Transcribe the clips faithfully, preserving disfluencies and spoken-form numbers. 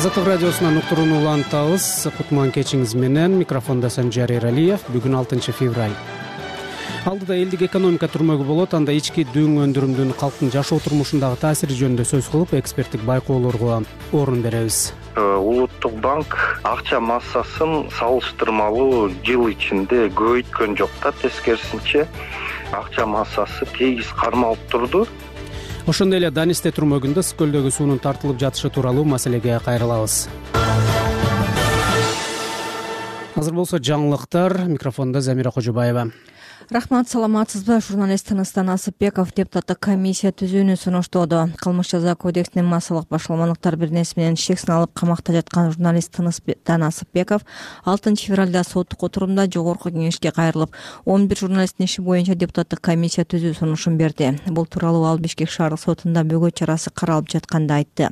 Азаттык радиосунан уктурууну улантабыз. Кутман кечиңиз менен. Микрофондо Санжар Эралиев. Бүгүн алтынчы февраль. Алдыда элдик экономика түрмөгү болот. Анда ички дүң өндүрүмдүн калктын жашоо турмушундагы таасири жөнүндө сөз кылып, эксперттик байкоолорго орун беребиз. Улуттук банк акча массасын салыштырмалуу жыл ичинде көбөйткөн жок да, тескерисинче акча массасы тегиз кармалып турду. Ошондой эле Данисте түрмөгүндө ысык көлдөгү суунун тартылып жатышы тууралуу маселеге кайрылабыз. Азыр болсо жаңылыктар. Микрофондо Замира Кожобаева. Рахмат, саламатсызбы? Журналист Тыныстан Асыпбеков депутаттык комиссия түзүүнү сунуштоодо. Кылмыш жаза кодексинин массалык башаламалыктар бир нерсе менен шексин алып камакта жаткан журналист Тыныстан Асыпбеков алтынчы февралда соттук отурумда жогорку кеңешке кайрылып, он бир журналисттин иши боюнча депутаттык комиссия түзүү сунушун берди. Бул тууралуу ал Бишкек шаардык сотунда бөгөт чарасы каралып жатканда айтты.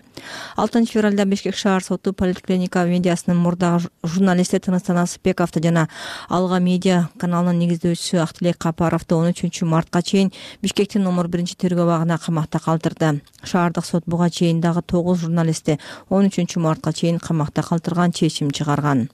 алтынчы февралда Бишкек шаар соту поликлиника медиасынын мурдагы журналисти Тыныстан Асыпбековду жана Алга медиа каналынын негиздөөчүсү Актилек Капаровду он үчүнчү мартка чейин Бишкектин номер биринчи тергөө абагына камакта калтырды. Шаардык сот буга чейин дагы тогуз журналистти он үчүнчү мартка чейин камакта калтырган чечим чыгарган.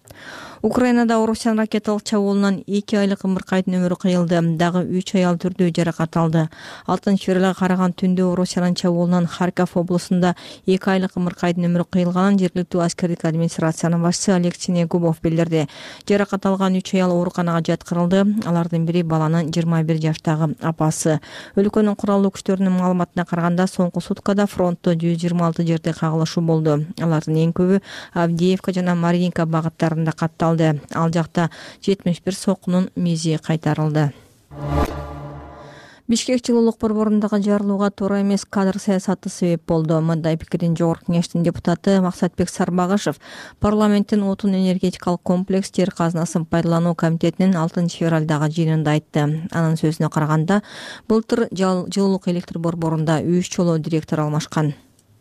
Украинада Орусиянын ракеталык чабуулунан эки айлык ымыркайдын өмүрү кыйылды. Дагы үч аял түрдүү жаракат алды. алтынчы февралга караган түндө Орусиянын чабуулунан Харьков облусунда эки айлык ымыркайдын өмүрү кыйылганын жергиликтүү аскердик администрациянын башчысы Алексей Негубов билдирди. Жаракат алган үч аял ооруканага жаткырылды. Алардын бири баланын жыйырма бир жаштагы апасы. Өлкөнүн куралдуу күчтөрүнүн маалыматына караганда соңку суткада фронтто жүз жыйырма алты жерде кагылышуу болду. Алардын эң көбү Авдеевка жана Маринка багыттарында катталды. Ал жакта жетимиш бир сокунун мизи кайтарылды. Бишкек жылуулук борборундагы жарылууга туура эмес кадр саясаты себеп болду. Мындай пикирин жогорку кеңештин депутаты Максатбек Сарбагышев парламенттин отун энергетикалык комплекс жер казынасын пайдалануу комитетинин алтынчы февралдагы жыйынында айтты. Анын сөзүнө караганда, былтыр жылуулук электр борборунда үч жолу директор алмашкан.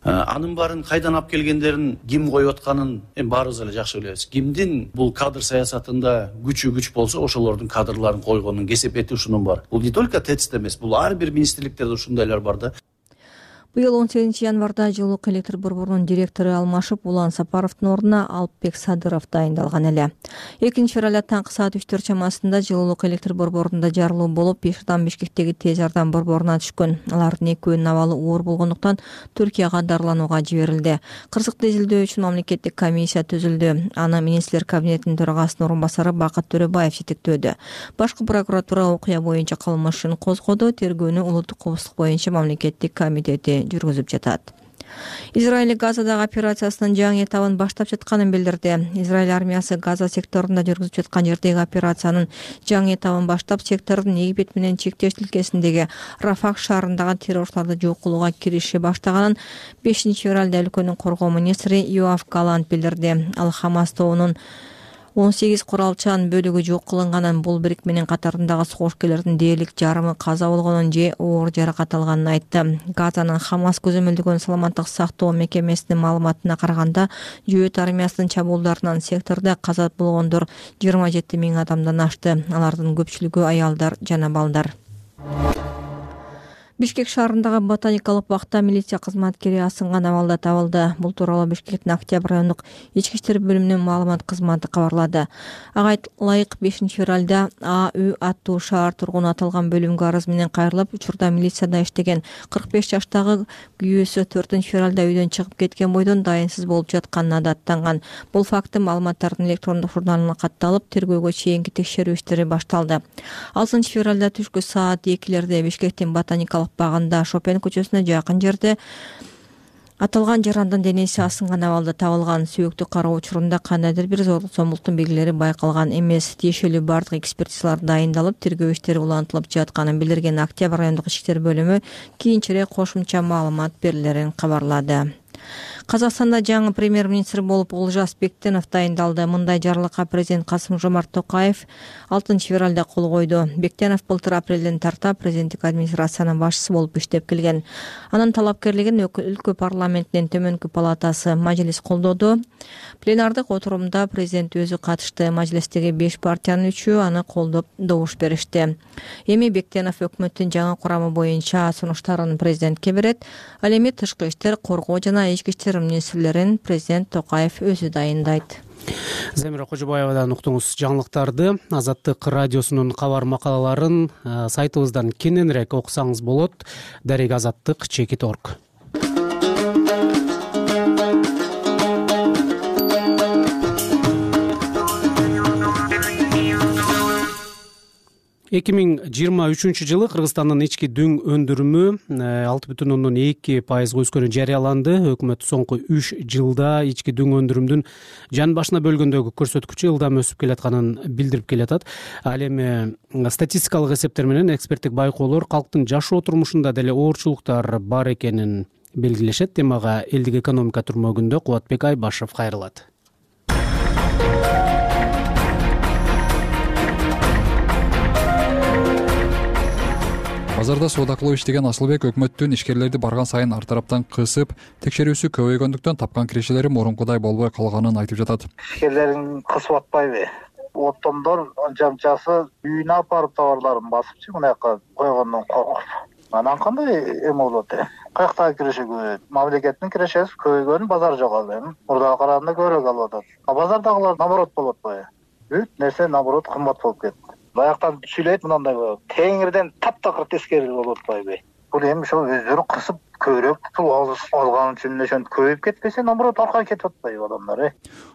Анын баарын кайдан алып келгендерин, ким коюп атканын эми баарыбыз эле жакшы билебиз. Кимдин бул кадр саясатында күчү күч болсо, ошолордун кадрларын койгонун, кесепети ушунун бар. Бул не только ТЭЦ эмес, бул ар бир министрликтерде ушундайлар бар да. Быйыл он сегизинчи январда жылуулук электр борборунун директору алмашып, Улан Сапаровдун ордуна Алпбек Садыров дайындалган эле. экинчи февралда таңкы саат үчтөр чамасында жылуулук электр борборунда жарылуу болуп, беш адам Бишкектеги тез жардам борборуна түшкөн. Алардын экөөнүн абалы оор болгондуктан Түркияга дарыланууга жиберилди. Кырсыкты изилдөө үчүн мамлекеттик комиссия түзүлдү. Аны министрлер кабинетинин төрагасынын орун басары Бакыт Төрөбаев жетектөөдү. Башкы прокуратура окуя боюнча кылмыш ишин козгоду. Тергөөнү улуттук коопсуздук боюнча мамлекеттик комитети жүргүзүп жатат. Израиль Газадагы операциясынын жаңы этабын баштап жатканын билдирди. Израиль армиясы Газа секторунда жүргүзүп жаткан жердеги операциянын жаңы этабын баштап, сектордун Египет менен чектеш тилкесиндеги Рафах шаарындагы террорчуларды жок кылууга кириши баштаганын бешинчи февралда өлкөнүн коргоо министри Йоав Галант билдирди. Ал Хамас тобунун он сегиз куралчан бөлүгү жок кылынганын, бул бирикменин катарындагы согушкерлердин дээрлик жарымы каза болгонун же оор жаракат алганын айтты. Газанын Хамас көзөмөлдөгөн саламаттык сактоо мекемесинин маалыматына караганда, Жөөт армиясынын чабуулдарынан сектордо каза болгондор жыйырма жети миң адамдан ашты. Алардын көпчүлүгү аялдар жана балдар. Бишкек шаарындагы ботаникалык бакта милиция кызматкери асынган абалда табылды. Бул тууралуу Бишкектин Октябрь райондук ички иштер бөлүмүнүн маалымат кызматы кабарлады. Ага ылайык бешинчи февралда А Ү аттуу шаар тургуну аталган бөлүмгө арыз менен кайрылып, учурда милицияда иштеген кырк беш жаштагы күйөөсү төртүнчү февралда үйдөн чыгып кеткен бойдон дайынсыз болуп жатканына даттанган. Бул факты маалыматтардын электрондук журналына катталып, тергөөгө чейинки текшерүү иштери башталды. алтынчы февралда түшкү саат экилерде Бишкектин ботаникалык багында Шопен көчөсүнө жакын жерде аталган жарандын денеси асынган абалда табылган. Сүйөктү кароо учурунда кандайдыр бир зордук зомбулуктун белгилери байкалган эмес. Тиешелүү бардык экспертизалар дайындалып, тергөө иштери улантылып жатканын билдирген Октябрь райондук ички иштер бөлүмү кийинчерээк кошумча маалымат берилерин кабарлады. Казакстанда жаңы премьер-министр болуп Олжас Бектенов дайындалды. Мындай жарлыкка президент Касым-Жомарт Токаев алтынчы февралда кол койду. Бектенов былтыр апрелден тарта президенттик администрациянын башчысы болуп иштеп келген. Анын талапкерлигин өлкө парламентинин төмөнкү палатасы Мажлис колдоду. Пленардык отурумда президент өзү катышты. Мажлистеги беш партиянын үчөө аны колдоп добуш беришти. Эми Бектенов өкмөттүн жаңы курамы боюнча сунуштарын президентке берет. Ал эми тышкы иштер, коргоо жана ички иштер министрлерин президент Токаев өзү дайындайт. Замира Кожобаевадан уктуңуз жаңылыктарды. Азаттык радиосунун кабар макалаларын сайтыбыздан кененирээк окусаңыз болот. Дарек азаттык чекит точка орг. эки миң жыйырма үчүнчү жылы Кыргызстандын ички дүң өндүрүмү алты бүтүн ондон эки пайызга өскөнү жарыяланды. Өкмөт соңку үч жылда ички дүң өндүрүмдүн жан башына бөлгөндөгү көрсөткүчү ылдам өсүп келатканын билдирип келатат. Ал эми статистикалык эсептер менен эксперттик байкоолор калктын жашоо турмушунда деле оорчулуктар бар экенин белгилешет. Темага элдик экономика түрмөгүндө Кубатбек Айбашев кайрылат. Базарда соода кылып иштеген Асылбек өкмөттүн ишкерлерди барган сайын ар тараптан кысып, текшерүүсү көбөйгөндүктөн тапкан киришелери мурункудай болбой калганын айтып жатат. Ишкерлерин кысып атпайбы? Оттондор анча-мынчасы үйүнө апарып товарларын басыпчы мынаяка койгондон коркуп. Анан кандай эме болот э? Каяктагы киреше көбөйөт? Мамлекеттин кирешеси көбөйгөн, базар жок эми. Мурдага караганда көбүрөөк алып атат. А базардагылар наоборот болуп атпайбы? Бүт нерсе наоборот кымбат болуп кетти. Баяктан сүйлөйт мындай болот. Теңирден таптакыр тескери болуп атпайбы? Бул эми ошо өздөрү кысып көбүрөөк пул алган үчүн ошентип көбөйүп кетпесе, наоборот аркага кетип атпайбы адамдар э?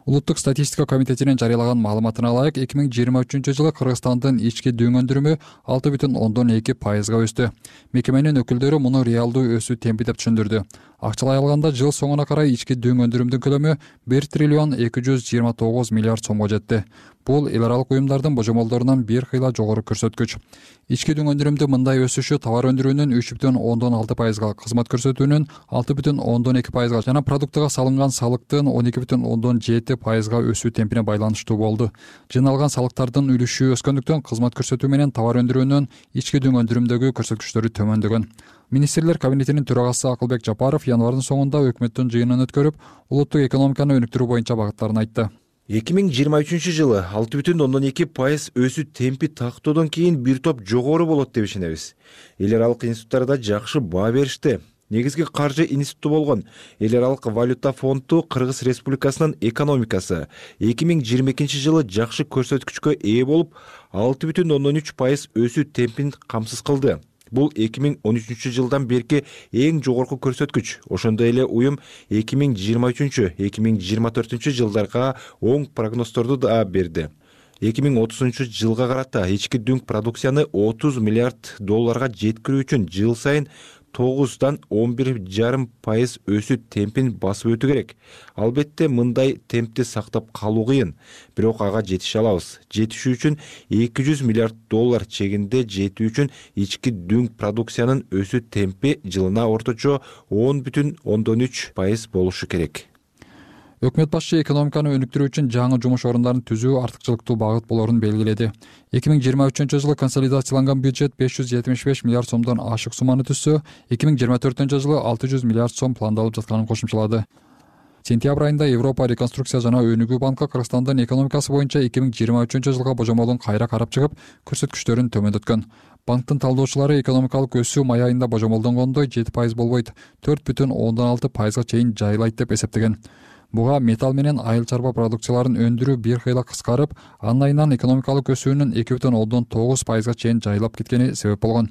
Улуттук статистика комитетинин жарыялаган маалыматына ылайык, эки миң жыйырма үчүнчү жылы Кыргызстандын ички дүң өндүрүмү алты бүтүн ондон эки пайызга өстү. Мекеменин өкүлдөрү муну реалдуу өсүү темпи деп түшүндүрдү. Акчалай алганда жыл соңуна карай ички дүң өндүрүмдүн көлөмү бир триллион эки жүз жыйырма тогуз миллиард сомго жетти. Бул эл аралык уюмдардын божомолдорунан бир кыйла жогору көрсөткүч. Ички дүң өндүрүмдү мындай өсүшү товар өндүрүүнүн үч бүтүн ондон алты пайызга, кызмат көрсөтүүнүн алты бүтүн ондон эки пайызга жана продуктага салынган салыктын он эки бүтүн ондон жети пайызга өсүү темпине байланыштуу болду. Жыйналган салыктардын үлүшү өскөндүктөн кызмат көрсөтүү менен товар өндүрүүнүн ички дүң өндүрүмдөгү көрсөткүчтөрү төмөндөгөн. Министрлер кабинетинин төрагасы Акылбек Жапаров январдын соңунда өкмөттүн жыйынын өткөрүп, улуттук экономиканы өнүктүрүү боюнча багыттарын айтты. эки миң жыйырма үчүнчү жылы алты бүтүн ондон эки пайыз өсүү темпи тактоодон кийин бир топ жогору болот деп ишенебиз. Эл аралык институттарда жакшы баа беришти. Негизги каржы институту болгон Эл аралык валюта фонду Кыргыз Республикасынын экономикасы эки миң жыйырма экинчи жылы жакшы көрсөткүчкө ээ болуп, алты бүтүн ондон үч пайыз өсүү темпин камсыз кылды. Бул эки миң он үчүнчү жылдан берки эң жогорку көрсөткүч. Ошондой эле уюм эки миң жыйырма үчүнчү — эки миң жыйырма төртүнчү жылдарга оң прогнозторду да берди. эки миң отузунчу жылга карата ички дүң продукцияны отуз миллиард долларга жеткирүү үчүн жыл сайын тогуздан он бир жарым пайыз өсүү темпин басып өтүү керек. Албетте мындай темпти сактап калуу кыйын, бирок ага жетише алабыз. Жетишүү үчүн эки жүз миллиард доллар чегинде жетүү үчүн ички дүң продукциянын өсүү темпи жылына орточо он бүтүн ондон үч пайыз болушу керек. Өкмөт башчы экономиканы өнүктүрүү үчүн жаңы жумуш орундарын түзүү артыкчылыктуу багыт болорун белгиледи. эки миң жыйырма үчүнчү жылы консолидацияланган бюджет беш жүз жетимиш беш миллиард сомдон ашык сумманы түзсө, эки миң жыйырма төртүнчү жылы алты жүз миллиард сом пландалып жатканын кошумчалады. Сентябрь айында Европа реконструкция жана өнүгүү банкы Кыргызстандын экономикасы боюнча эки миң жыйырма үчүнчү жылга божомолун кайра карап чыгып, көрсөткүчтөрүн төмөндөткөн. Банктын талдоочулары экономикалык өсүү май айында божомолдонгондой жети пайыз болбойт, төрт бүтүн ондон алты пайызга чейин жайылайт деп эсептеген. Буга металл менен айыл чарба продукцияларын өндүрүү бир кыйла кыскарып, анын айынан экономикалык өсүүнүн эки бүтүн ондон тогуз пайызга чейин жайылап кеткени себеп болгон.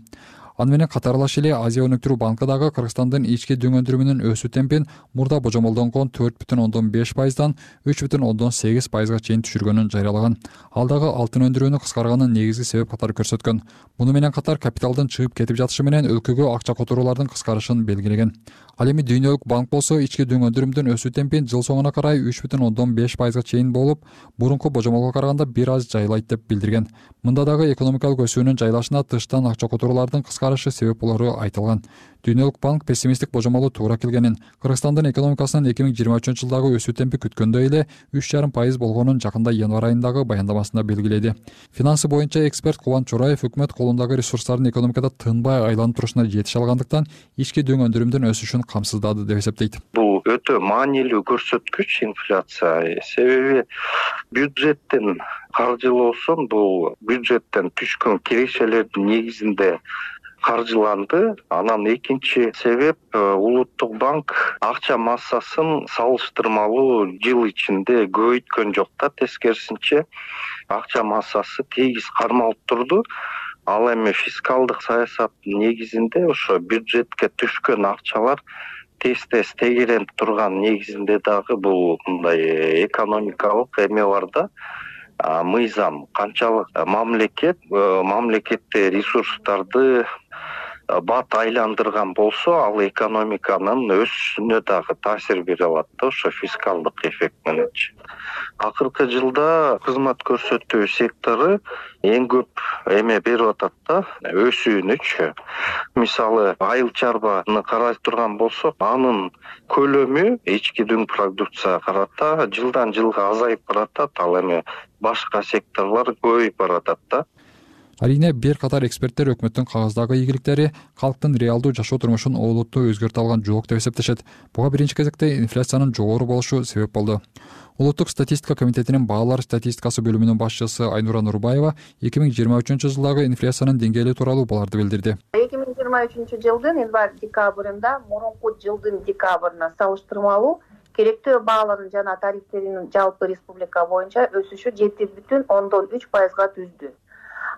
Аны менен катарлаш эле Азия өнүктүрүү банкы дагы Кыргызстандын ички дүң өндүрүмүнүн өсүү темпин мурда божомолдонгон төрт бүтүн ондон беш пайыздан үч бүтүн ондон сегиз пайызга чейин түшүргөнүн жарыялаган. Ал дагы алтын өндүрүүнү кыскарганын негизги себеп катары көрсөткөн. Муну менен катар капиталдын чыгып кетип жатышы менен өлкөгө акча которуулардын кыскарышын белгилеген. Ал эми Дүйнөлүк банк болсо ички дүң өндүрүмдүн өсүү темпин жыл соңуна карай үч бүтүн ондон беш пайызга чейин болуп, мурунку божомолго караганда бир аз жайылайт деп билдирген. Мында дагы экономикалык өсүүнүн жайлашына тыштан акча которуулардын кыскарышы себеп болору айтылган. Дүйнөлүк банк пессимисттик божомолу туура келгенин, Кыргызстандын экономикасынын эки миң жыйырма үчүнчү жылдагы өсүү темпи күткөндөй эле үч жарым пайыз болгонун жакында январь айындагы баяндамасында белгиледи. Финансы боюнча эксперт Кубан Чораев өкмөт колундагы ресурстардын экономикада тынбай айланып турушуна жетише алгандыктан ички дүң өндүрүмдүн өсүшүн камсыздады деп эсептейт. Бул өтө маанилүү көрсөткүч инфляция. Себеби бюджеттен каржылоосун бул бюджеттен түшкөн кирешелердин негизинде каржыланды. Анан экинчи себеп улуттук банк акча массасын салыштырмалуу жыл ичинде көбөйткөн жок да, тескерисинче акча массасы тегиз кармалып турду. Ал эми фискалдык саясаттын негизинде ошо бюджетке түшкөн акчалар тез-тез тегеренип турган негизинде дагы бул мындай экономикалык эме бар да, мыйзам. Канчалык мамлекет мамлекетте ресурстарды бат айландырган болсо, ал экономиканын өсүшүнө дагы таасир бере алат да, ошо фискалдык эффект мененчи. Акыркы жылда кызмат көрсөтүү сектору эң көп эме берип атат да, өсүүнүчү. Мисалы, айыл чарбаны карай турган болсок, анын көлөмү ички дүң продукцияга карата жылдан жылга азайып баратат, ал эми башка секторлор көбөйүп баратат да. Арийне бир катар эксперттер өкмөттүн кагаздагы ийгиликтери калктын реалдуу жашоо турмушун олуттуу өзгөртө алган жок деп эсептешет. Буга биринчи кезекте инфляциянын жогору болушу себеп болду. Улуттук статистика комитетинин баалар статистикасы бөлүмүнүн башчысы Айнура Нурбаева эки миң жыйырма үчүнчү жылдагы инфляциянын деңгээли тууралуу буларды билдирди. эки миң жыйырма үчүнчү жылдын январь-декабрында мурунку жылдын декабрына салыштырмалуу керектөө баалардын жана тарифтеринин жалпы республика боюнча өсүшү жети бүтүн ондон үч пайызга түздү.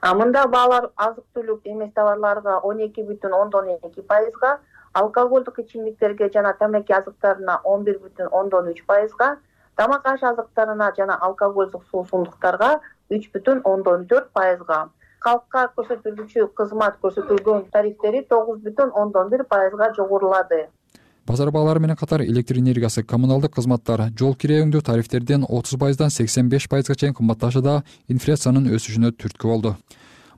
Мында баалар азык түлүк эмес товарларга он эки бүтүн ондон эки пайызга, алкоголдук ичимдиктерге жана тамеки азыктарына он бир бүтүн ондон үч пайызга, тамак аш азыктарына жана алкоголдук суусундуктарга үч бүтүн ондон төрт пайызга, калкка көрсөтүлүүчү кызмат көрсөтүлгөн тарифтери тогуз бүтүн ондон бир пайызга жогорулады. Базар баалары менен катар электр энергиясы, коммуналдык кызматтар, жол киребиңдүү тарифтерден отуз пайыздан сексен беш пайызга чейин кымбатташы да инфляциянын өсүшүнө түрткү болду.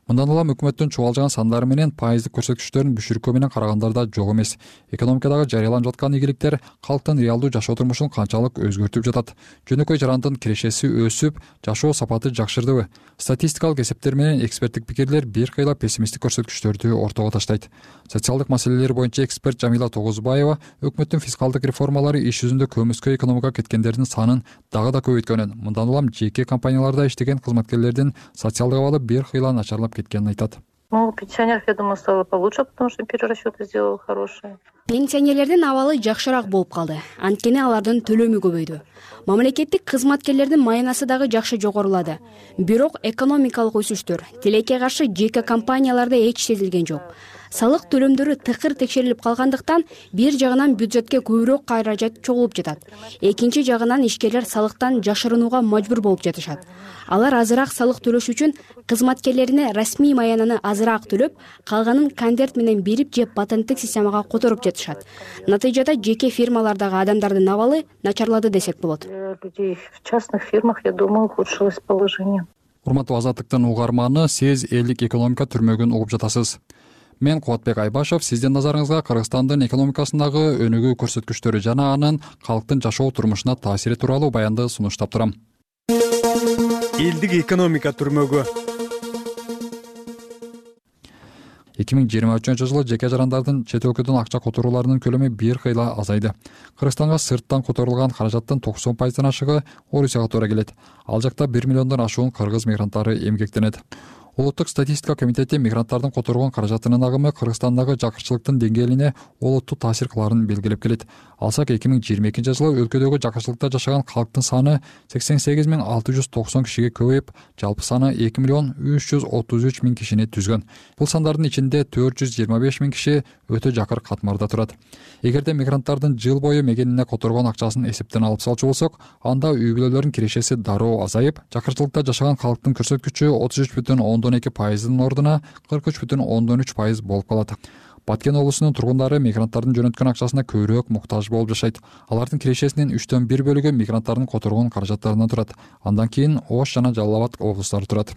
Мындан улам өкмөттүн чубалжыган сандары менен пайыздык көрсөткүчтөрүн бүшүркөө менен карагандарда жок эмес. Экономикадагы жарыяланып жаткан ийгиликтер калктын реалдуу жашоо турмушун канчалык өзгөртүп жатат? Жөнөкөй жарандын кирешеси өсүп, жашоо сапаты жакшырдыбы? Статистикалык эсептер менен эксперттик пикирлер бир кыйла пессимисттик көрсөткүчтөрдү ортого таштайт. Социалдык маселелер боюнча эксперт Жамила Тогузбаева өкмөттүн фискалдык реформалары иш жүзүндө көмүскө экономикага кеткендердин санын дагы да көбөйткөнүн, мындан улам жеке компанияларда иштеген кызматкерлердин социалдык абалы бир кыйла начарлап кеткенин айтат. Ну, у пенсионеров, я думаю, стало получше, потому что перерасчеты сделал хорошие. Пенсионерлердин абалы жакшыраак болуп калды. Анткени алардын төлөмү көбөйдү. Мамлекеттик кызматкерлердин маянасы дагы жакшы жогорулады. Бирок экономикалык өсүштөр тилекке каршы жеке компанияларда эч сезилген жок. Салык төлөмдөрү тыкыр текшерилип калгандыктан бир жагынан бюджетке көбүрөөк каражат чогулуп жатат. Экинчи жагынан ишкерлер салыктан жашырынууга мажбур болуп жатышат. Алар азыраак салык төлөш үчүн кызматкерлерине расмий маянаны азыраак төлөп, калганын конверт менен берип же патенттик системага которуп жатышат. Натыйжада жеке фирмалардагы адамдардын абалы начарлады десек болот. Людей в частных фирмах, я думаю, ухудшилось положение. Урматтуу Азаттыктын угарманы, сиз элдик экономика түрмөгүн угуп жатасыз. Мен Кубатбек Айбашев, сиздин назарыңызга Кыргызстандын экономикасындагы өнүгүү көрсөткүчтөрү жана анын калктын жашоо турмушуна таасири тууралуу баянды сунуштап турам. Элдик экономика түрмөгү. эки миң жыйырма үчүнчү жылы жеке жарандардын чет өлкөдөн акча которууларынын көлөмү бир кыйла азайды. Кыргызстанга сырттан которулган каражаттын токсон пайыздан ашыгы Орусияга туура келет. Ал жакта бир миллиондон ашуун кыргыз мигранттары эмгектенет. Улуттук статистика комитети мигранттардын которгон каражатынын агымы Кыргызстандагы жакырчылыктын деңгээлине олуттуу таасир кыларын белгилеп келет. Алсак эки миң жыйырма экинчи жылы өлкөдөгү жакырчылыкта жашаган калктын саны сексен сегиз миң алты жүз токсон кишиге көбөйүп, жалпы саны эки миллион үч жүз отуз үч миң кишини түзгөн. Бул сандардын ичинде төрт жүз жыйырма беш миң киши өтө жакыр катмарда турат. Эгерде мигранттардын жыл бою мегенине которгон акчасын эсептен алып салчу болсок, анда үй бүлөлөрдүн кирешеси дароо азайып, жакырчылыкта жашаган калктын көрсөткүчү отуз үч бүтүн ондон эки пайыздын ордуна кырк үч бүтүн ондон үч пайыз болуп калат. Баткен облусунун тургундары мигранттардын жөнөткөн акчасына көбүрөөк муктаж болуп жашайт. Алардын кирешесинин үчтөн бир бөлүгү мигранттардын которгон каражаттарынан турат. Андан кийин Ош жана Жалал Абад облустары турат.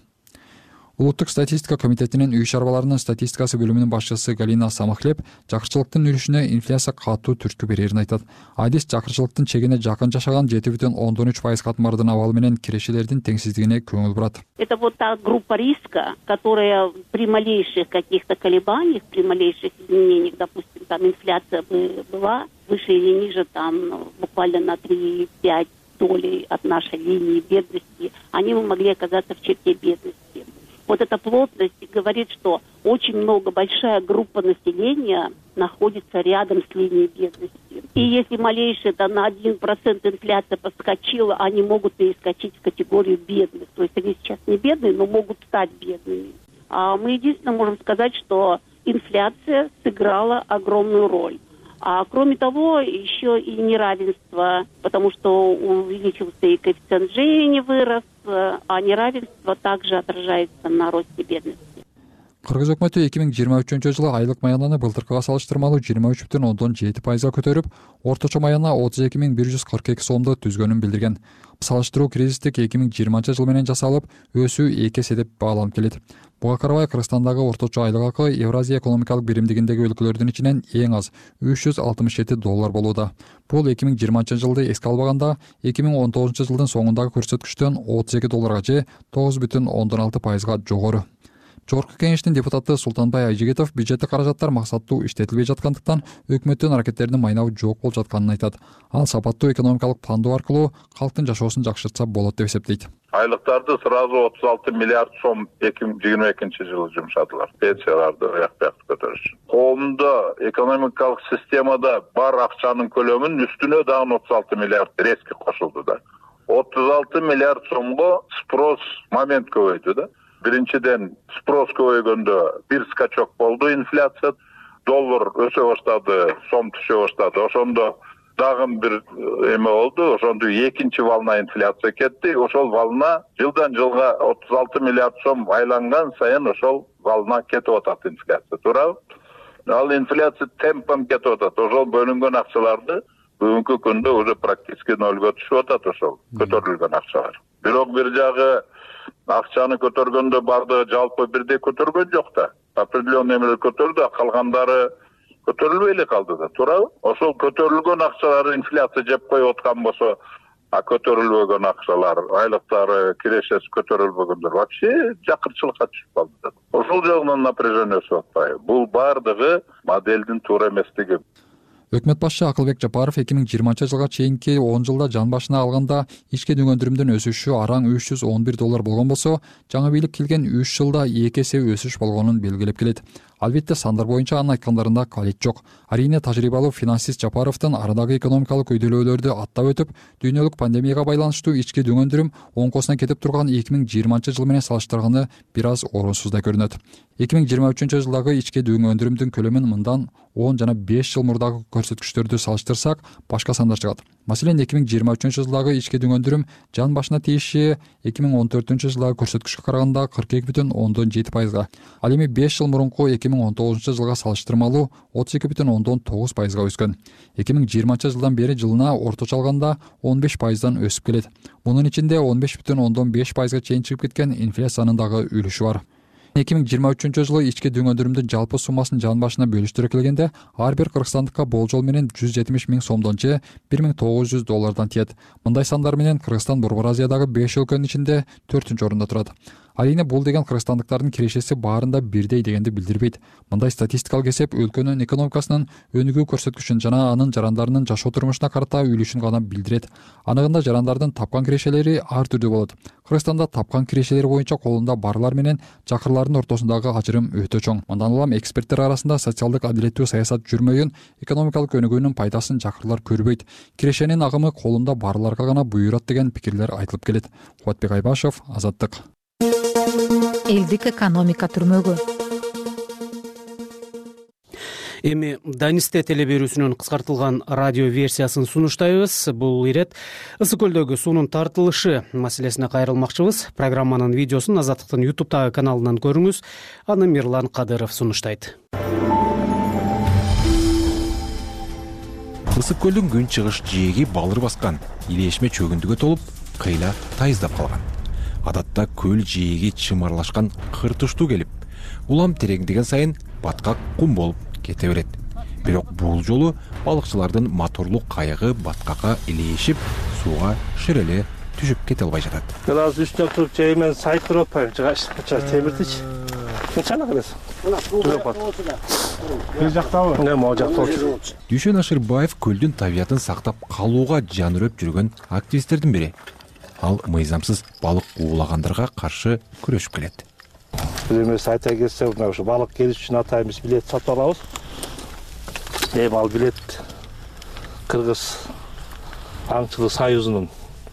Улуттук статистика комитетинин үй чарбаларынын статистикасы бөлүмүнүн башчысы Галина Самахлеп жакырчылыктын үлүшүнө инфляция катуу түрткү берерин айтат. Адис жакырчылыктын чегине жакын жашаган жети бүтүн ондон үч пайыз катмардын абалы менен кирешелердин теңсиздигине көңүл бурат. Это вот та группа риска, которая при малейших каких-то колебаниях, при малейших изменениях, допустим, там инфляция бы была выше или ниже, там буквально на три-пять долей от нашей линии бедности, они бы могли оказаться в черте бедности. Вот эта плотность говорит, что очень много, большая группа населения находится рядом с линией бедности. И если малейшая да, на один процент инфляция подскочила, они могут перескочить в категорию бедных. То есть они сейчас не бедные, но могут стать бедными. А мы единственно можем сказать, что инфляция сыграла огромную роль. А кроме того, еще и неравенство, потому что увеличился и коэффициент Джини вырос, а неравенство также отражается на росте бедности. Кыргыз өкмөтү эки миң жыйырма үчүнчү жылы айлык маянаны былтыркыга салыштырмалуу жыйырма үч бүтүн ондон жети пайызга көтөрүп, орточо маяна отуз эки миң бир жүз кырк эки сомду түзгөнүн билдирген. Салыштыруу кризистик эки миң жыйырманчы жыл менен жасалып, өсүү эки эсе деп бааланып келет. Буга карабай Кыргызстандагы орточо айлык акы Евразия экономикалык биримдигиндеги өлкөлөрдүн ичинен эң аз үч жүз алтымыш жети доллар болууда. Бул эки миң жыйырманчы жылды эске албаганда эки миң он тогузунчу жылдын соңундагы көрсөткүчтөн отуз эки долларга же тогуз бүтүн ондон алты пайызга жогору. Жогорку кеңештин депутаты Султанбай Айжигитов бюджеттик каражаттар максаттуу иштетилбей жаткандыктан өкмөттүн аракеттеринин майнабы жок болуп жатканын айтат. Ал сапаттуу экономикалык пландоо аркылуу калктын жашоосун жакшыртса болот деп эсептейт. Айлыктарды сразу отуз алты миллиард сом эки миң жыйырма экинчи жылы жумшадылар. Пенсияларды аяк бияк көтөрүш үчүн. Коомдо экономикалык системада бар акчанын көлөмүн үстүнө дагы отуз алты миллиард резко кошулду да. отуз алты миллиард сомго спрос момент көбөйдү да. Биринчиден спрос көбөйгөндө бир скачок болду, инфляция, доллар өсө баштады, сом түшө баштады. Ошондо дагы бир эме болду, ошондо экинчи волна инфляция кетти. Ошол волна жылдан жылга отуз алты миллиард сом айланган сайын ошол волна кетип атат инфляция, туурабы? Ал инфляция темпом кетип атат. Ошол бөлүнгөн акчаларды бүгүнкү күндө уже практически нолго түшүп атат ошол көтөрүлгөн акчалар. Бирок бир жагы акчаны көтөргөндө бардыгы жалпы бирдей көтөргөн жок да. Определенный эмелер көтөрдү, а калгандары көтөрүлбөй эле калды да, туурабы? Ошол көтөрүлгөн акчалар инфляция жеп коюп аткан болсо, а көтөрүлбөгөн акчалар, айлыктары, кирешеси көтөрүлбөгөндөр вообще жакырчылыкка түшүп калды да. Ошол жагынан напряжение өсүп атпайбы? Бул бардыгы моделдин туура эместиги. Өкмөт башчы Акылбек Жапаров эки миң жыйырманчы жылга чейинки он жылда жан башына алганда ички дүң өндүрүмдүн өсүшү араң үч жүз он бир доллар болгон болсо, жаңы бийлик келген үч жылда эки эсе өсүш болгонун белгилеп келет. Албетте сандар боюнча анын айткандарында калет жок. Арийне тажрыйбалуу финансист Жапаровдун арадагы экономикалык көйдөлөөлөрдү аттап өтүп, дүйнөлүк пандемияга байланыштуу ички дүң өндүрүм оңкосуна кетип турган эки миң жыйырманчы жыл менен салыштырганы бир аз орунсуз да көрүнөт. эки миң жыйырма үчүнчү жылдагы ички дүң өндүрүмдүн көлөмүн мындан он жана беш жыл мурдагы көрсөткүчтөрдү салыштырсак, башка сандар чыгат. Маселен, эки миң жыйырма үчүнчү жылдагы ички дүң өндүрүм жан башына тийиши эки миң он төртүнчү жылдагы көрсөткүчкө караганда кырк эки бүтүн ондон жети пайызга, ал эми беш жыл мурунку эки миң он тогузунчу жылга салыштырмалуу отуз эки бүтүн ондон тогуз пайызга өскөн. эки миң жыйырманчы жылдан бери жылына орточо алганда он беш пайыздан өсүп келет. Мунун ичинде он беш бүтүн ондон беш пайызга чейин чыгып кеткен инфляциянын дагы үлүшү бар. эки миң жыйырма үчүнчү жылы ички дүң өндүрүмдүн жалпы суммасын жан башына бөлүштүрө келгенде, ар бир кыргызстандыкка болжол менен жүз жетимиш миң сомдон же бир миң тогуз жүз доллардан тиет. Мындай сандар менен Кыргызстан Борбор Азиядагы беш өлкөнүн ичинде төртүнчү орунда турат. Арийне бул деген кыргызстандыктардын кирешеси баарында бирдей дегенди билдирбейт. Мындай статистикалык эсеп өлкөнүн экономикасынын өнүгүү көрсөткүчүн жана анын жарандарынын жашоо турмушуна карата үлүшүн гана билдирет. Аныгында жарандардын тапкан кирешелери ар түрдүү болот. Кыргызстанда тапкан кирешелер боюнча колунда барлар менен жакырлардын ортосундагы ажырым өтө чоң. Мындан улам эксперттер арасында социалдык адилеттүү саясат жүрмөйүн, экономикалык өнүгүүнүн пайдасын жакырлар көрбөйт. Кирешенин агымы колунда барларга гана буйрат деген пикирлер айтылып келет. Кубатбек Айбашев, Азаттык. Элдик экономика түрмөгү. Эми Данисте телеберүүсүнүн кыскартылган радио версиясын сунуштайбыз. Бул ирет Ысык көлдөгү суунун тартылышы маселесине кайрылмакчыбыз. Программанын видеосун Азаттыктын ютубтагы каналынан көрүңүз. Аны Мирлан Кадыров сунуштайт. Ысык көлдүн күн чыгыш жээги балыр баскан, илешме чөгүндүгө толуп, кыйла тайыздап калган. Адатта көл жээги чымарлашкан кыр туштуу келип, улам тереңдеген сайын баткак кум болуп кете берет. Бирок бул жолу балыкчылардын моторлук кайыгы баткакка илешип, сууга ширеле түшүп кете албай жатат. Мен азыр үстүнө туруп жаймен сайып туруп атпайбы? Жыгаш, темиртич. Чана кырасың. Бир жактабы? Не, могу жакта отур. Дүйшөн Ашырбаев көлдүн табиятын сактап калууга жан өрөп жүргөн активисттердин бири. Ал мыйзамсыз балык уулагандарга каршы күрөшүп келет. бир эмеси айта кетсем, мына ушу балык келиш үчүн атайбыз билет сатып алабыз. Эми ал билет Кыргыз аңчылык союзунун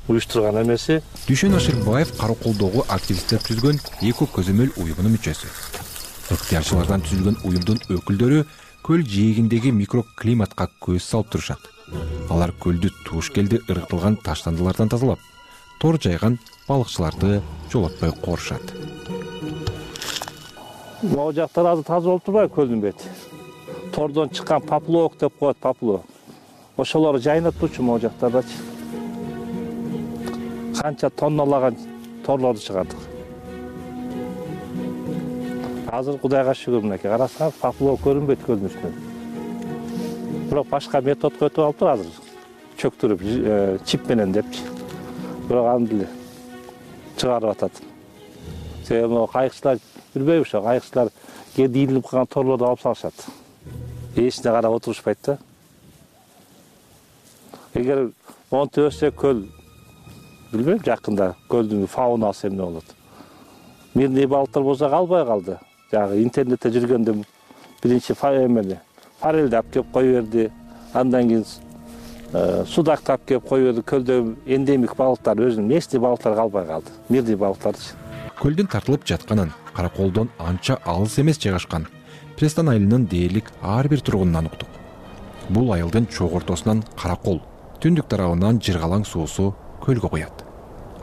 уюштурган эмеси. Дүйшөн Ашырбаев Караколдогу активисттер түзгөн эко көзөмөл уюмунун мүчөсү. Ыктыярчылардан түзүлгөн уюмдун өкүлдөрү көл жээгиндеги микроклиматка көз салып турушат. Алар көлдү туш келди ыргытылган таштандылардан тазалап, тор жайган балыкчыларды жолотпой корушат. Могу жактар азыр таза болуп турбайбы көлдүн бети? Тордон чыккан поплавок деп коет, поплавок. Ошолорду жайнатуучу могу жактардачы. Канча тонналаган торлорду чыгардык. Азыр Кудайга шүгүр, мынакей карасаңыз, поплавок көрүнбөйт көлдүн үстүнөн. Бирок башка методго өтүп алыптыр азыр. Чөктүрүп, чип менен депчи. Бирок аны деле чыгарып атат. Себеби могу кайыкчылар билбейби, ошо кайыкчылар кээде ийилип калган торлорду алып салышат. Эчине карап отурушпайт да. Эгер монтип өтсө көл, билбейм, жакында көлдүн фаунасы эмне болот. Мирный балыктар болсо калбай калды. Жагы интернетте жүргөндө биринчи эмени форельди алып келип кое берди. Андан кийин судакты алып келип кое берди. Көлдө эндемик балыктар, өзүнүн местный балыктар калбай калды. Мирный балыктарчы. Көлдүн тартылып жатканын, Караколдон анча алыс эмес жайгашкан Престан айылынын дээрлик ар бир тургунунан уктук. Бул айылдын чоң ортосунан Каракол, түндүк тарабынан жыргалаң суусу көлгө куят.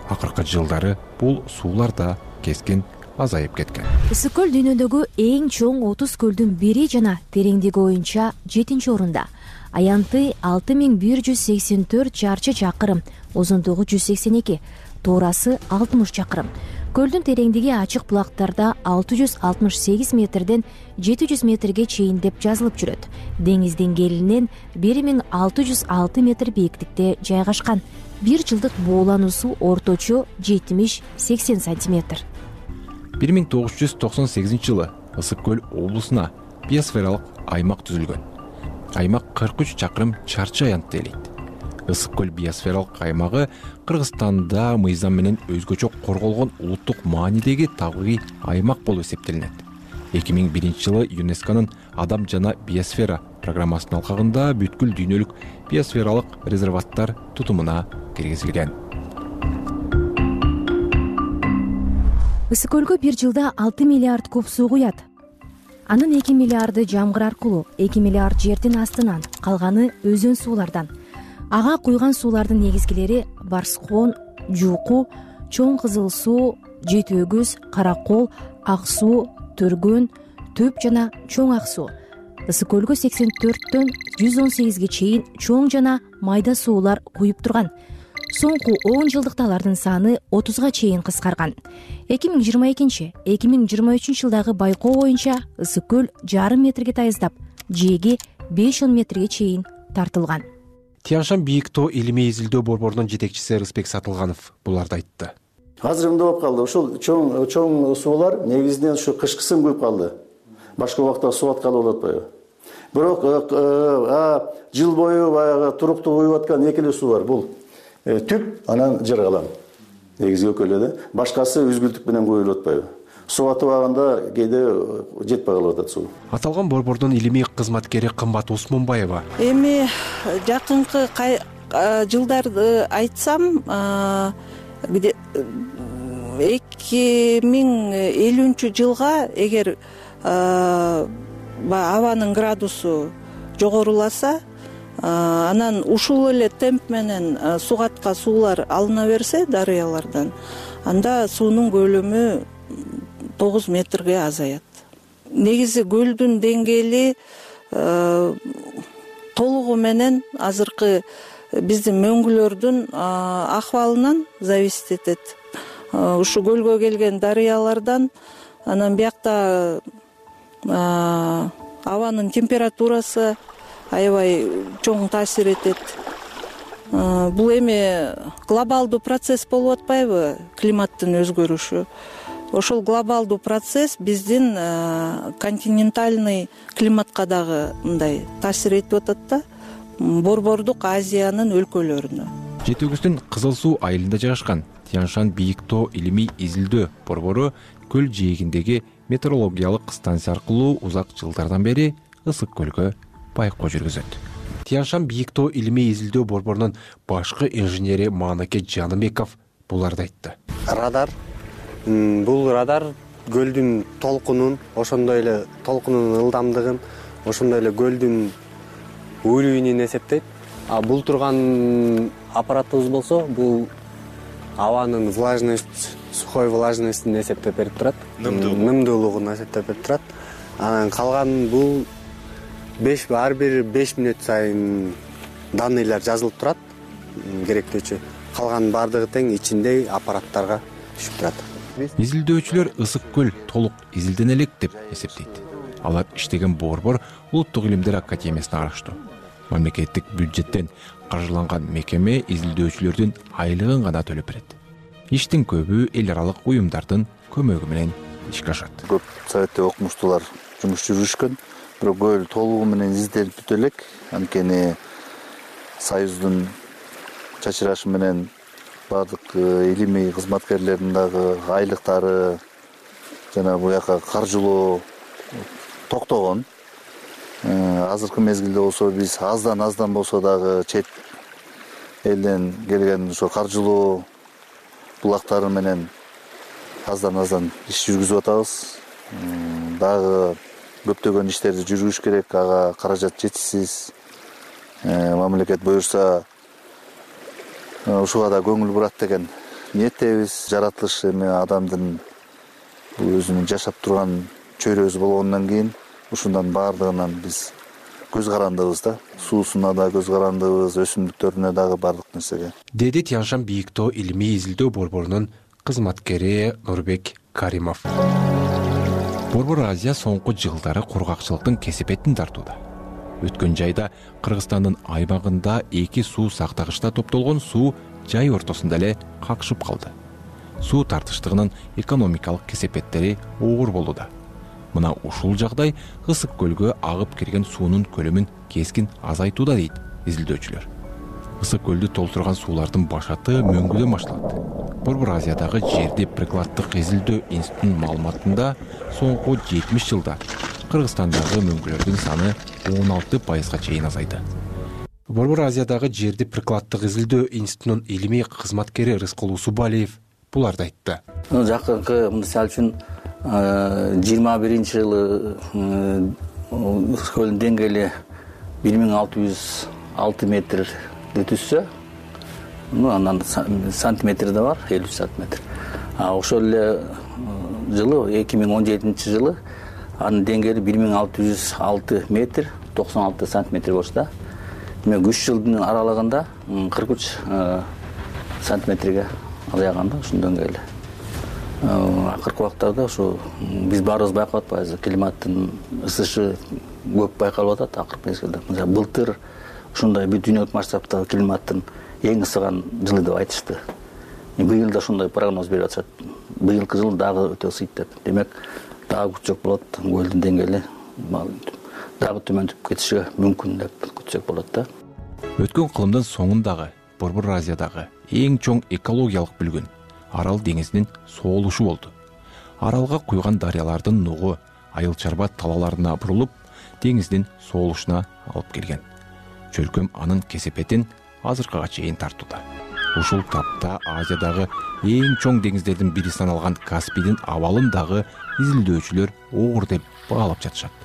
Акыркы жылдары бул суулар да кескин азайып кеткен. Ысык көл дүйнөдөгү эң чоң отуз көлдүн бири жана тереңдиги боюнча жетинчи орунда. Аянты алты миң бир жүз сексен төрт чарчы чакырым, узундугу жүз сексен эки, туурасы алтымыш чакырым. Көлдүн тереңдиги ачык булактарда алты жүз алтымыш сегиз метрден жети жүз метрге чейин деп жазылып жүрөт. Деңиз деңгээлинен бир миң алты жүз алты метр бийиктикте жайгашкан. Бир жылдык буулануусу орточо жетимиш сексен сантиметр. бир миң тогуз жүз токсон сегизинчи жылы Ысык көл облусуна биосфералык аймак түзүлгөн. Аймак кырк үч чакырым чарчы аянтты ээлейт. Ысык көл биосфералык аймагы Кыргызстанда мыйзам менен өзгөчө корголгон улуттук маанидеги табигый аймак болуп эсептелинет. эки миң биринчи жылы ЮНЕСКОнун Адам жана биосфера программасынын алкагында бүткүл дүйнөлүк биосфералык резерваттар тутумуна киргизилген. Ысык көлгө бир жылда алты миллиард куб суу куят. Анын эки миллиарды жамгыр аркылуу, эки миллиард жердин астынан, калганы өзөн суулардан. Ага куйган суулардын негизгилери Барскон, Жууку, Чоң Кызыл суу, Жети өгүз, Каракол, Ак суу, Төргөн, Төп жана Чоң Ак суу. Ысык көлгө сексен төрттөн жүз он сегизге чейин чоң жана майда суулар куюп турган. Соңку он жылдыкта алардын саны отузга чейин кыскарган. эки миң жыйырма экинчи — эки миң жыйырма үчүнчү жылдагы байкоо боюнча ысык көл жарым метрге тайыздап, жээги беш он метрге чейин тартылган. Тянь-Шань бийик тоо илимий изилдөө борборунун жетекчиси Рыспек Сатылганов буларды айтты. Азыр эмне болуп калды? Ушул чоң чоң суулар негизинен ушу кышкысын куюп калды. Башка убакта суу аткалы болуп атпайбы? Бирок жыл бою баягы туруктуу куюп аткан эки эле суу бар. Бул Түп, анан Жыргалам. Негизги экөө да. Башкасы үзгүлтүк менен куюлуп атпайбы? Суу атыбаганда кээде жетпей калып атат суу. Аталган борбордун илимий кызматкери Кымбат Усмунбаева. Эми жакынкы жылдарды айтсам, эки миң элүүнчү жылга эгер абанын градусу жогоруласа, анан ушул эле темп менен сугатка суулар алына берсе дарыялардан, анда суунун көлөмү тогуз метрге азаят. Негизи көлдүн деңгээли толугу менен азыркы биздин мөңгүлөрдүн акыбалынан зависит этет. Ушу көлгө келген дарыялардан, анан биякта абанын температурасы аябай чоң таасир этет. Бул эми глобалдуу процесс болуп атпайбы, климаттын өзгөрүшү. Ошол глобалдуу процесс биздин континентальный климатка дагы мындай таасир этип атат да, борбордук Азиянын өлкөлөрүнө. Жети-Өгүздүн Кызыл Суу айылында жайгашкан Тянь-Шань бийик тоо илимий изилдөө борбору көл жээгиндеги метеорологиялык станция аркылуу узак жылдардан бери ысык көлгө байкоо жүргүзөт. Тянь-Шань бийик тоо илимий изилдөө борборунун башкы инженери Маанаке Жаныбеков буларды айтты. Радар бул радар көлдүн толкунун, ошондой эле толкунунун ылдамдыгын, ошондой эле көлдүн уровенин эсептейт. А бул турган аппаратыбыз болсо, бул абанын влажность, сухой влажностьун эсептеп берип турат. Нымдуулугун эсептеп берип турат. Анан калган бул беш ар бир беш мүнөт сайын данныйлар жазылып турат, керектүүчү. Калган бардыгы тең ичинде аппараттарга түшүп турат. Изилдөөчүлөр ысык көл толук изилдене элек деп эсептейт. Алар иштеген борбор Улуттук илимдер академиясына караштуу. Мамлекеттик бюджеттен каржыланган мекеме изилдөөчүлөрдүн айлыгын гана төлөп берет. Иштин көбү эл аралык уюмдардын көмөгү менен ишке ашат. Көп Советтеги окумуштуулар жумуш жүргүзүшкөн, бирок көл толугу менен изилделип бүтө элек. Анткени Союздун чачырашы менен бардык илимий кызматкерлердин дагы айлыктары жана буяка каржылоо токтогон. Азыркы мезгилде болсо биз аздан аздан болсо дагы чет элден келген ошо каржылоо булактары менен аздан аздан иш жүргүзүп атабыз. Дагы көптөгөн иштерди жүргүзүш керек, ага каражат жетишсиз. Мамлекет буюрса ушуга да көңүл бурат деген ниеттебиз. Жаратылыш эми адамдын бул өзүнүн жашап турган чөйрөсү болгондон кийин ушундан баардыгынан биз көз карандыбыз да. Суусуна да көз карандыбыз, өсүмдүктөрүнө дагы бардык нерсеге. Деди Тянь-Шань бийик тоо илимий изилдөө борборунун кызматкери Нурбек Каримов. Борбор Азия соңку жылдары кургакчылыктын кесепетин тартууда. Өткөн жайда Кыргызстандын аймагында эки суу сактагычта топтолгон суу жай ортосунда эле какшып калды. Суу тартыштыгынын экономикалык кесепеттери оор болууда. Мына ушул жагдай ысык көлгө агып кирген суунун көлөмүн кескин азайтууда дейт изилдөөчүлөр. Ысык көлдү толтурган суулардын башаты мөңгүдөн башталат. Борбор Азиядагы жерди прикладдык изилдөө институтунун маалыматында соңку жетимиш жылда Кыргызстандагы мөңгүлөрдүн саны он алты пайызга чейин азайды. Борбор Азиядагы жерди прикладдык изилдөө институтунун илимий кызматкери Рыскул Усубалиев буларды айтты. Жакынкы мисалы үчүн жыйырма биринчи жылы ысык көлдүн деңгээли бир миң алты жүз алты метрди түзсө, андан сантиметр да бар, элүү сантиметр. А ошол эле жылы эки миң он жетинчи жылы анын деңгээли бир миң алты жүз алты метр, токсон алты сантиметр болчу да. Демек үч жылдын аралыгында кырк үч сантиметрге азайган да ушунун деңгээли. Акыркы убактарда ушу биз баарыбыз байкап атпайбыз, климаттын ысышы көп байкалып атат акыркы мезгилде. Мисалы былтыр ушундай бүт дүйнөлүк масштабтагы климаттын эң ысыган жылы деп айтышты. Быйыл да ушундай прогноз берип атышат. Быйылкы жыл дагы өтө ысыйт деп. Демек дагы күчөк болот, көлдүн деңгээли дагы төмөндөп кетиши мүмкүн деп күтсөк болот да. Өткөн кылымдын соңундагы Борбор Азиядагы эң чоң экологиялык бүлгүн Арал деңизинин соолушу болду. Аралга куйган дарыялардын нугу айыл чарба талаларына бурулуп, деңиздин соолушуна алып келген. Чөлкөм анын кесепетин азыркыга чейин тартууда. Ушул тапта Азиядагы эң чоң деңиздердин бири саналган Каспийдин абалын дагы изилдөөчүлөр оор деп баалап жатышат.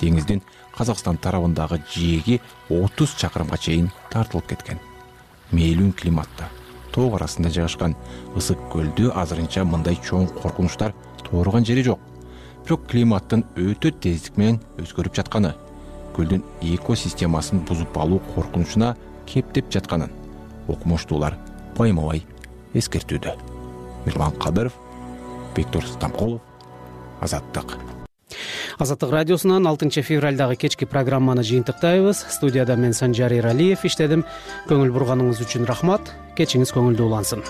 Деңиздин Казакстан тарабындагы жээги отуз чакырымга чейин тартылып кеткен. Мейлүүн климатта тоо арасында жайгашкан ысык көлдү азырынча мындай чоң коркунучтар тууруган жери жок. Бирок климаттын өтө тездик менен өзгөрүп жатканы, көлдүн экосистемасын бузуп алуу коркунучуна кептеп жатканын окумуштуулар байма-бай эскертүүдө. Мирлан Кадыров, Бектур Стамкулов, Азаттык. Азаттык радиосунан алтынчы февралдагы кечки программаны жыйынтыктайбыз. Студияда мен Санжар Эралиев иштедим. Көңүл бурганыңыз үчүн рахмат. Кечиңиз көңүлдүү улансын.